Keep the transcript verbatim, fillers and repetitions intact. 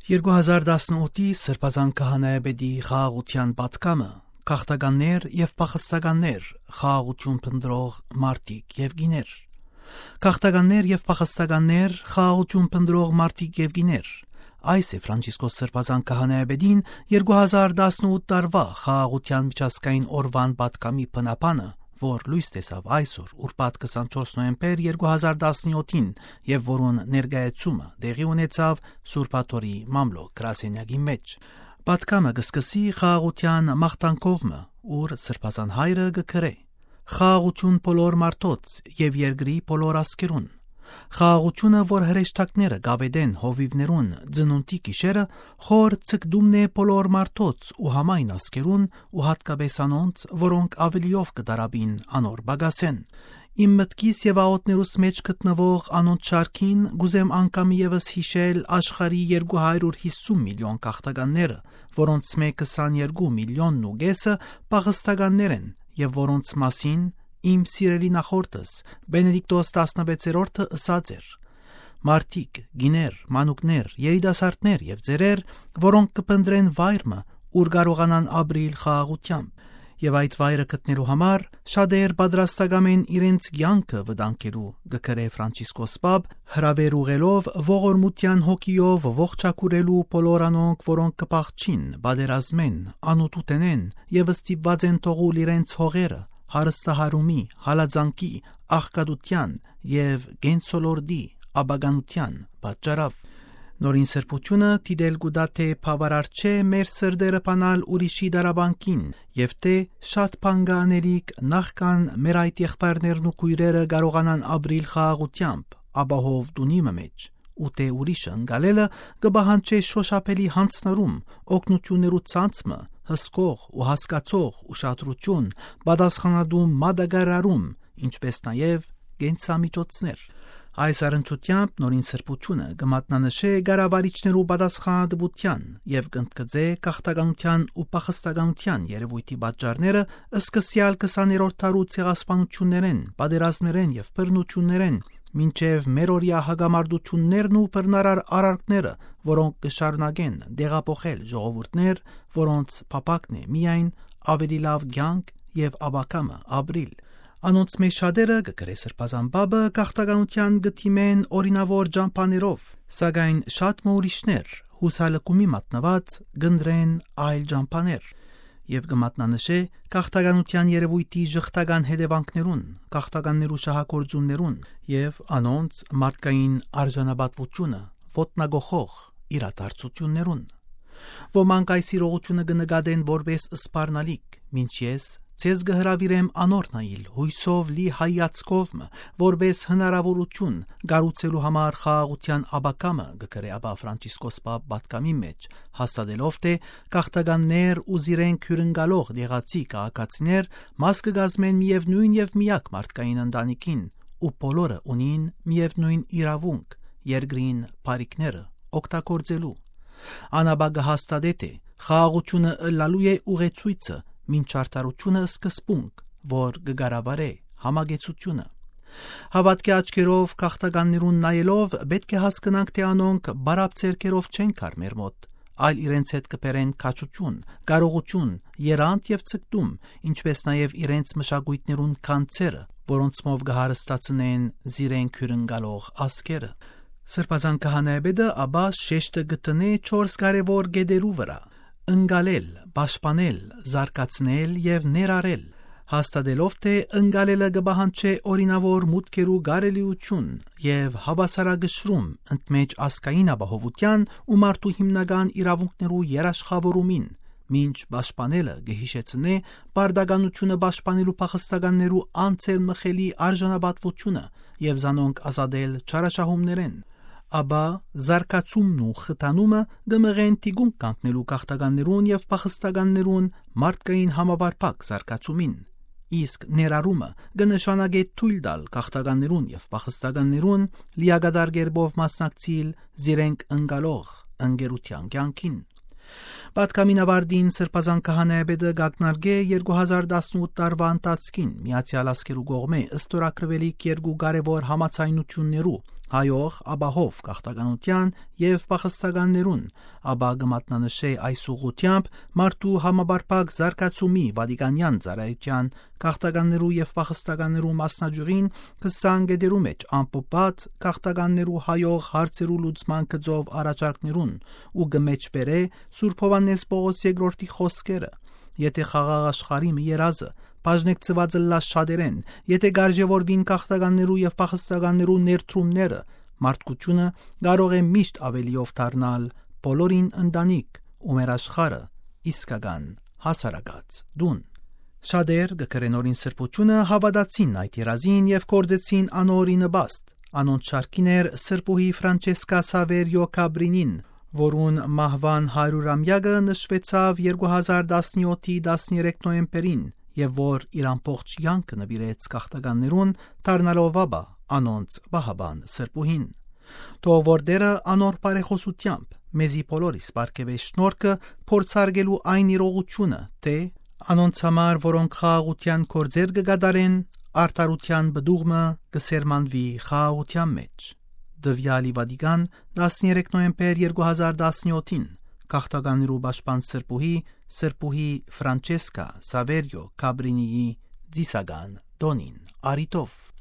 Երկու հազար տասնութի Սրբազան Քահանայապետի խաղաղութեան պատգամը. գաղթականներ եւ փախստականներ, խաղաղութիւն փնտռող մարդիկ եւ կիներ։ Գաղթականներ եւ փախստականներ, խաղաղութիւն փնտռող մարդիկ եւ կիներ։ Այս է Ֆրանցիսկոս Սրբազան Քահանայապետին երկու հազար տասնութ տարուայ խաղաղութեան միջազգային օրուան պատգամի բնաբանը, որ լոյս տեսաւ այսօր, ուրբաթ քսանչորս նոյեմբեր երկու հազար տասնյոթին, եւ որուն ներկայացումը տեղի ունեցաւ Սուրբ Աթոռի մամլոյ գրասենյակի մէջ։ Պատգամը կը սկսի խաղաղութեան մաղթանքով մը, ուր Սրբազան Հայրը կը գրէ. «Խաղաղութիւն բոլոր մարդոց եւ երկրի բոլոր ազգերուն։ Խաղաղութիւնը, որ հրեշտակները կ'աւետեն հովիւներուն ծնունդի գիշերը, խոր ցկտումն է բոլոր մարդոց ու համայն ազգերուն ու յատկապէս անոնց, որոնք աւելիով կը տառապին անոր պակասէն։ Իմ մտքիս եւ աղօթքներուս մէջ գտնուող անոնց շարքին կ'ուզեմ անգամ եւս յիշել աշխարհի երկու հարիւր յիսուն միլիոն գաղթականները, որոնցմէ քսաներկու միլիոնն ու կէսը փախստականներ են եւ որոնց մասին իմ սիրելի նախորդս Բենեդիկտոս տասնվեցերորդը ըսած էր. մարդիկ, կիներ, մանուկներ, երիտասարդներ եւ ծերեր, որոնք կը փնտռեն վայր մը, ուր կարողանան ապրիլ խաղաղութեամբ, եւ այդ վայրը գտնելու համար շատեր պատրաստակամ են իրենց կեանքը վտանգելու», կը գրէ Ֆրանցիսկոս Պապ, հրաւեր ուղղելով ողորմութեան հոգիով ողջագուրելու բոլոր անոնք, որոնք կը փախչին պատերազմէն, անօթութենէն եւ ստիպուած են թողուլ իրենց հողերը, հարստահարումի, հալածանքի, աղքատութեան եւ կենսոլորտի ապականութեան պատճառով։ Նորին սրբութիւնը դիտել կու տայ, թէ բաւարար չէ մեր սրտերը բանալ ուրիշի դարապանքին եւ թէ շատ բան կը անելիք, նախքան մեր այդ եղբայրներն ու քոյրերը կարողանան ապրիլ խաղաղութեամբ, ապահով տունի մը մէջ, ու թէ ուրիշը ընկալելը կը պահանջէ շոշափելի յանձնառում, օգնութիւններու ցանց մը, հսկող ու հասկացող ուշադրութիւն, պատասխանատու մատակարարում, ինչպէս նաեւ կենսամիջոցներ։ Այս առնչութեամբ նորին սրբութիւնը կը մատնանշէ կառավարիչներու պատասխանատուութեան եւ կ'ընդգծէ գաղթականութեան ու փախստականութեան երեւոյթի պատճառները սկսեալ քսաներորդ դարու ցեղասպանութիւններէն, պատերազմներէն եւ բռնութիւններէն, մինչեւ մերօրեայ հակամարտութիւններն ու բռնարար արարքները, որոնք կը շարունակեն տեղափոխել ժողովուրդներ, որոնց փափաքն է միայն աւելի լաւ կեանք եւ ապագայ մը ապրիլ։ Անոնցմէ շատերը, կը գրէ Սրբազան Պապը, գաղթականութեան կը դիմեն օրինաւոր ճամբաներով, սակայն շատ մը ուրիշներ, յուսալքումի մատնուած, կ'ընտրեն այլ ճամբաներ եւ կը մատնանշէ գաղթականութեան երեւոյթի ժխտական հետեւանքներուն, գաղթականներու շահագործումներուն եւ անոնց մարդկային արժանապատուությունը ոտնակոխող իրադարձութիւններուն։ Ոմանք այս իրողութիւնը կը նկատեն որպէս սպառնալիք, մինչ ես ձեզ կը հրաւիրեմ անոր նայիլ յոյսով լի հայացքով մը, որպէս հնարաւորութիւն կառուցելու համար խաղաղութեան ապագայ մը, կը գրէ ապա Ֆրանցիսկոս Պապ պատգամի մէջ, հաստատելով թէ գաղթականներ ու զիրենք հիւրընկալող դեղացի քաղաքացիներ մաս կը կազմեն միեւնոյն եւ միակ մարդկային ընտանիքին, ու բոլորը ունին միեւնոյն իրաւունք երկրին բարիքները օգտագործելու։ Ան ապա կը հաստատէ թէ խաղաղութիւնը ըլլալու է ուղեցոյցը, մինչ արդարութիւնը սկզբունք, որ կը կառավարէ համակեցութիւնը։ Հաւատքի աչքերով գաղթականներուն նայելով՝ պէտք է հասկնանք թէ անոնք բարապ ձեռքերով չեն գար մեր մօտ, այլ իրենց հետ կը բերեն քաջութիւն, կարողութիւն, եռանդ եւ ցկտում, ինչպէս նաեւ իրենց մշակոյթներուն գանձերը, որոնցմով կը հարստացնեն զիրենք հիւրընկալող ազգերը։ Սրբազան քահանայապետը ապա շեշտը կը դնէ չորս կարեւոր կետերու վրայ. ընկալել, պաշտպանել, զարգացնել եւ ներառել, հաստատելով թէ ընկալելը կը պահանջէ օրինաւոր մուտքերու կարելիութիւն եւ հաւասարակշռում ընդմէջ ազգային ապահովութեան ու մարդու հիմնական իրաւունքներու երաշխաւորումին, մինչ պաշտպանելը կը յիշեցնէ պարտականութիւնը պաշտպանելու փախստականներու անցերմխելի արժանապատուութիւնը եւ զանոնք ազատել չարաշահումներէն, ապա զարգացումն ու խթանումը կը մղեն թիկունք կանգնելու գաղթականներուն եւ փախստականներուն մարդկային համապարփակ զարգացումին, իսկ ներառումը կը նշանակէ թոյլ տալ գաղթականներուն եւ փախստականներուն լիակատար կերպով մասնակցիլ զիրենք ընկալող ընկերութեան կեանքին։ Պատգամին աւարտին Սրբազան քահանայապետը կ'ակնարկէ երկու հազար տասնութ տարուայ ընթացքին Միացեալ Ազգերու կողմէ ստորագրուելիք երկու կարեւոր համաձայնութիւններու, հայող, ապահով գաղթականութեան եւ փախստականներուն, ապա կը մատնանշէ այս ուղղութեամբ մարդու համապարփակ զարգացումի Վատիկանեան ծառայութեան գաղթականներու եւ փախստականներու մասնաճիւղին քսան կետերու մէջ ամփոփուած գաղթականներու հայող հարցերու լուծման գծով առաջարկներուն ու կը մէջբերէ Սուրբ Յովհաննէս Պողոս երկրորդի խօսքերը. «Եթէ խաղաղ աշխարհի մը երազը բաժնեկցուած ըլլայ շատերէն, եթէ գարժեւորուին գաղթականներու եւ փախստականներու ներդրումները, մարդկությունը կարող է միշտ աւելիով դառնալ բոլորին ընտանիք ու մեր աշխարհը իսկական հասարակաց տուն»։ Շատեր, կը կրեն օրին սրբութիւնը, հաւատացին այդ երազին եւ գործեցին անոր ի նպաստ։ Անոնց շարքին էր սրբուհի Ֆրանչեսկա Սավերիո Կաբրինին, որուն մահուան հարիւրամեակը նշուեցաւ երկու հազար տասնեօթի տասներեք նոյեմբերին, եւ որ իր ամբողջ կեանքը նուիրեց գաղթականներուն, դառնալով ապա անոնց պահապան սրբուհին։ Թող որ Տէրը անոր բարեխօսութեամբ մեզի բոլորիս պարգեւէ շնորհքը փորձարկելու այն իրողութիւնը, թէ անոնց համար, որոնք խաղաղութեան գործեր կը կատարեն, արդարութեան պտուղ մը կը սերմանուի խաղաղութեան մէջ։ Տուեալ ի Վատիկան, տասներեք նոյեմբեր երկու հազար տասնեօթին, գաղթականներու պաշտպան սրբուհի, սրբուհի Ֆրանչեսկա Սավերիո Կաբրինիի ծիսական տօնին առիթով։